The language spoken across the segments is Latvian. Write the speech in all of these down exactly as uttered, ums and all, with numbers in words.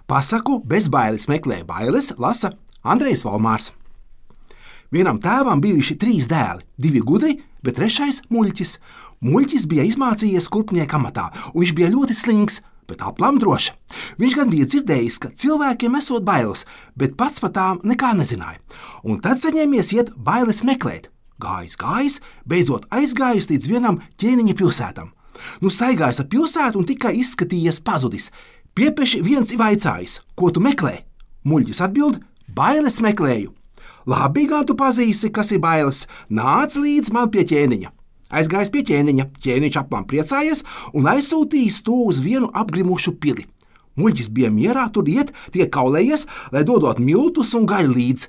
Pasaku bez bailes meklē bailes, lasa Andrejs Valmārs. Vienam tēvam bijuši trīs dēli, divi gudri, bet trešais muļķis. Muļķis bija izmācījies kurpnieka amatā, un viņš bija ļoti slings, bet aplam drošs. Viņš gan bija dzirdējis, ka cilvēkiem esot bailes, bet pats par tām nekā nezināja. Un tad saņēmies iet bailes meklēt. Gājis, gājis, beidzot aizgājis līdz vienam ķēniņa pilsētam. Nu staigājis ar pilsētu un tikai izskatījies pazudis. Piepeši viens ir vaicājis, ko tu meklē? Muļķis atbild, bailes meklēju. Labi, gan tu pazīsi, kas ir bailes, nāc līdz man pie ķēniņa. Aizgājis pie ķēniņa, ķēniņš aplam priecājies un aizsūtījis to uz vienu apgrimušu pili. Muļķis bija mierā tur iet, tiek kaulējies, lai dodot miltus un gaļu līdz,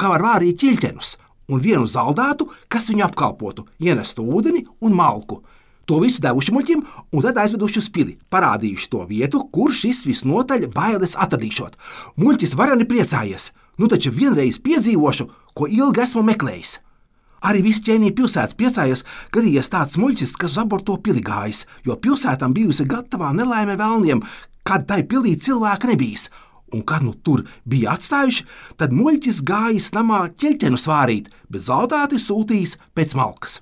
kā var vārīt ķiļķenus, un vienu zaldātu, kas viņu apkalpotu, ienestu ūdeni un malku. To visu devuši muļķim un tad aizveduši uz pili, parādījuši to vietu, kur šis visnotaļ bailes atradīšot. Muļķis varani priecājies, nu taču vienreiz piedzīvošu, ko ilgi esmu meklējis. Arī viss ķēniņa pilsētas priecājies, gadījies tāds muļķis, kas uz aborto pili gājis, jo pilsētām bijusi gatavā nelaime vēlniem, kad tai pilī cilvēki nebijis. Un kad nu tur bija atstājuši, tad muļķis gājis namā ķeļķenu svārīt, bet zaldāti sūtījis pēc malkas.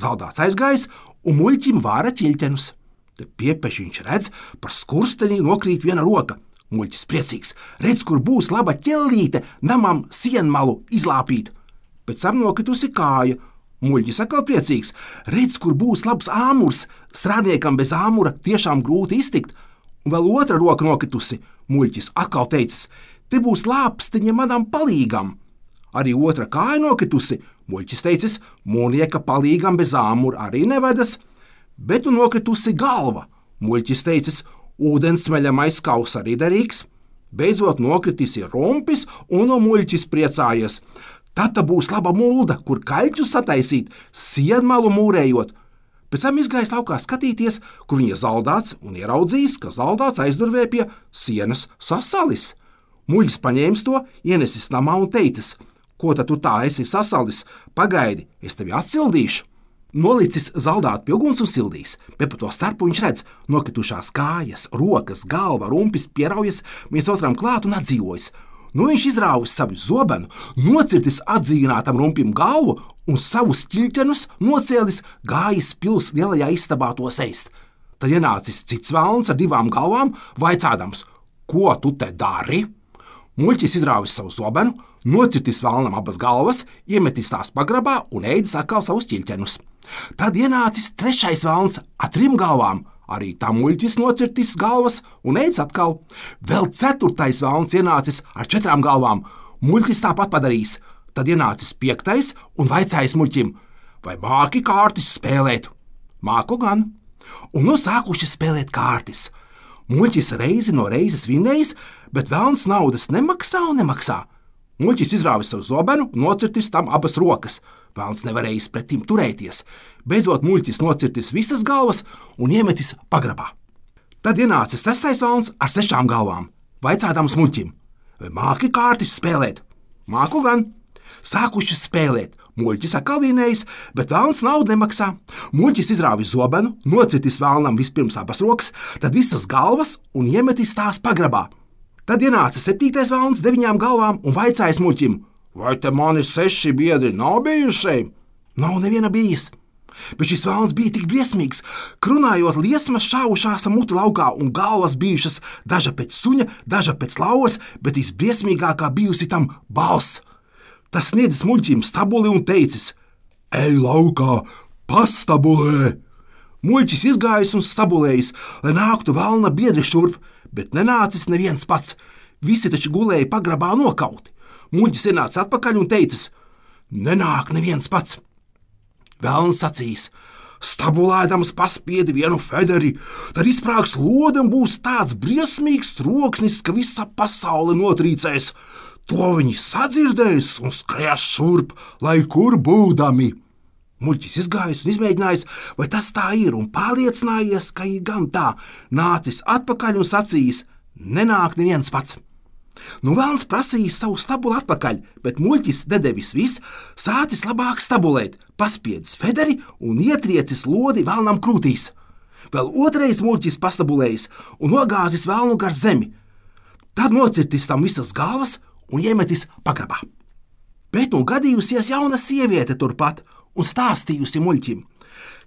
Zaldāts aizgājis, un muļķim vāra ķiļķenus. Te piepeši viņš redz, par skursteni nokrīt viena roka. Muļķis priecīgs, redz, kur būs laba ķellīte namam sienmalu izlāpīt. Pēc tam nokritusi kāja. Muļķis atkal priecīgs, redz, kur būs labs āmurs. Strādniekam bez āmura tiešām grūti iztikt. Un vēl otra roka nokritusi. Muļķis atkal teicis, te būs lāpstiņa manam palīgam. Arī otra kāja nokritusi. Muļķis teicis, mūnieka palīgam bez āmura arī nevedas, bet nu nokritusi galva. Muļķis teicis, ūdensmeļamais kaus arī derīgs. Beidzot nokritis ir rumpis, un no muļķis priecājies. Tad būs laba mulda, kur kaļķus sataisīt, sienmalu mūrējot. Pēc tam izgājis laukā skatīties, kur viņa zaldāts, un ieraudzījis, ka zaldāts aizdurvē pie sienas sasalis. Muļķis paņēmis to, ienesis namā un teicis, ko tad tu tā esi sasalis? Pagaidi, es tevi atsildīšu. Nolicis zaldātu pie uguns un sildījis, bet pa to starpu viņš redz, nokritušās kājas, rokas, galva, rumpis pieraujas, viens otram klāt un atdzīvojas. Nu viņš izrāvis savu zobenu, nocirtis atdzīvinātam rumpim galvu un savus ķiļķenus nocēlis, gājis pils lielajā istabā tos ēst. Tad ienācis cits velns ar divām galvām, vaicādams, ko tu te dari? Muļķis izrāvis savu zobenu, nocirtis vēlnam abas galvas, iemetis tās pagrabā un ēdis atkal savus ķiļķenus. Tad ienācis trešais velns ar trim galvām, arī tam muļķis nocirtis galvas un ēdis atkal. Vēl ceturtais velns ienācis ar četrām galvām, muļķis tāpat padarījis. Tad ienācis piektais un vaicājis muļķim, vai māki kārtis spēlēt? Māku gan. Un nu sākuši spēlēt kārtis. Muļķis reizi no reizes vinnējis, bet velns naudas nemaksā un nemaksā. Muļķis izrāvis savu zobenu, nocirtis tam abas rokas. Velns nevarējis pretim turēties. Beidzot muļķis nocirtis visas galvas un iemetis pagrabā. Tad ienāca sestais velns ar sešām galvām, vaicādams muļķim, vai māki kārtis spēlēt? Māku gan. Sākuši spēlēt. Muļķis atkal vinējis, bet velns naudu nemaksā. Muļķis izrāvis zobenu, nocirtis velnam vispirms abas rokas, tad visas galvas un iemetis tās pagrabā. Tad ienāca septītais velns deviņām galvām un vaicājis muļķim, vai te mani seši biedri nav bijuši? Nav neviena bijis. Bet šis velns bija tik briesmīgs, krunājot liesmas šaušās ar muti laukā un galvas bijušas daža pēc suņa, daža pēc lauvas, bet visbriesmīgākā bijusi tam balss. Tas sniedzis muļķim stabuli un teicis, ej laukā, pastabulē! Muļķis izgājis un stabulējis, lai nāktu velna biedri šurp, bet nenācis neviens pats. Visi taču gulēja pagrabā nokauti. Muļķis ienāca atpakaļ un teicis, nenāk neviens pats. Velns sacīs, stabulēdams paspiedi vienu federi, tad izsprāgs lode un būs tāds briesmīgs troksnis, ka visa pasaule notrīcēs. To viņi sadzirdēs un skries šurp, lai kur būdami. Muļķis izgājis un izmēģinājis, vai tas tā ir, un pārliecinājies, ka ir gan tā, nācis atpakaļ un sacījis, nenāk neviens pats. Nu velns prasījis savu stabulu atpakaļ, bet muļķis nedevis viss, sācis labāk stabulēt, paspiedis federi un ietriecis lodi velnam krūtīs. Vēl otrais muļķis pastabulējis un nogāzis velnu gar zemi. Tad nocirtis tam visas galvas un iemetis pagrabā. Bet nu gadījusies jauna sieviete turpat un stāstījusi muļķim: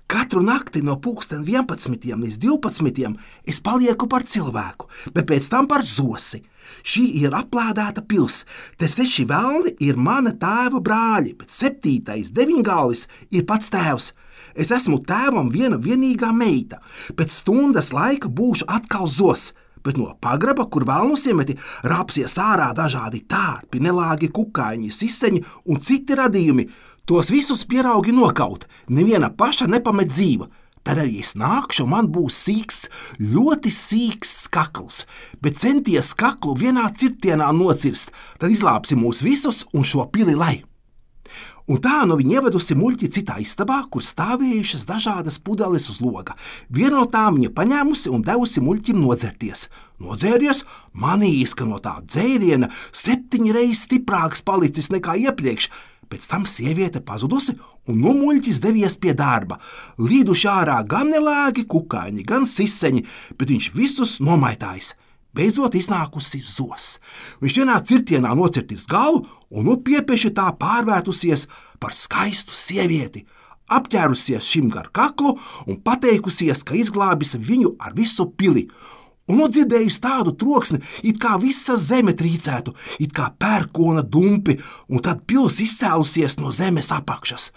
katru nakti no pulksten vienpadsmitiem līdz divpadsmitiem es palieku par cilvēku, bet pēc tam par zosi. Šī ir aplādēta pils, te seši velni ir mana tēva brāļi, bet septītais deviņgalvis ir pats tēvs. Es esmu tēvam viena vienīgā meita, pēc stundas laika būšu atkal zos, bet no pagraba, kur velnus iemeti, rapsies ārā dažādi tārpi, nelāgi kukaiņi, siseņi un citi radījumi. Tos visus pieraugi nokaut, neviena paša nepamet dzīva. Tad arī es nākšu, man būs sīks, ļoti sīks kakls, bet centies kaklu vienā cirtienā nocirst, tad izlāpsi mūs visus un šo pili lai. Un tā nu viņa ievedusi muļķi citā istabā, kur stāvējušas dažādas pudeles uz loga. Vienu no tām viņa paņēmusi un devusi muļķim nodzerties. Nodzēries, manījis, ka no tā dzēriena septiņi reizes stiprāks palicis nekā iepriekš. Pēc tam sieviete pazudusi, un nu muļķis devies pie darba. Līduši ārā gan nelēgi kukaiņi, gan siseņi, bet viņš visus nomaitājis. Beidzot iznākusi zos. Viņš vienā cirtienā nocirtis galvu, un nu piepieši tā pārvērtusies par skaistu sievieti, apķērusies šim gar kaklu un pateikusies, ka izglābis viņu ar visu pili. Un nu dzirdējusi tādu troksni, it kā visa zeme trīcētu, it kā pērkona dumpi, un tad pils izcēlusies no zemes apakšas.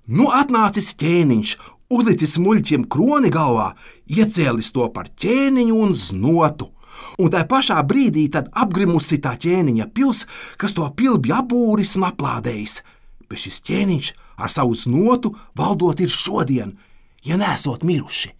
Nu atnācis ķēniņš, uzlicis muļķiem kroni galvā, iecēlis to par ķēniņu un znotu. Un tā pašā brīdī tad apgrimusi tā ķēniņa pils, kas to pili bija apbūris un aplādējis. Bet šis ķēniņš ar savu znotu valdot ir šodien, ja nesot miruši.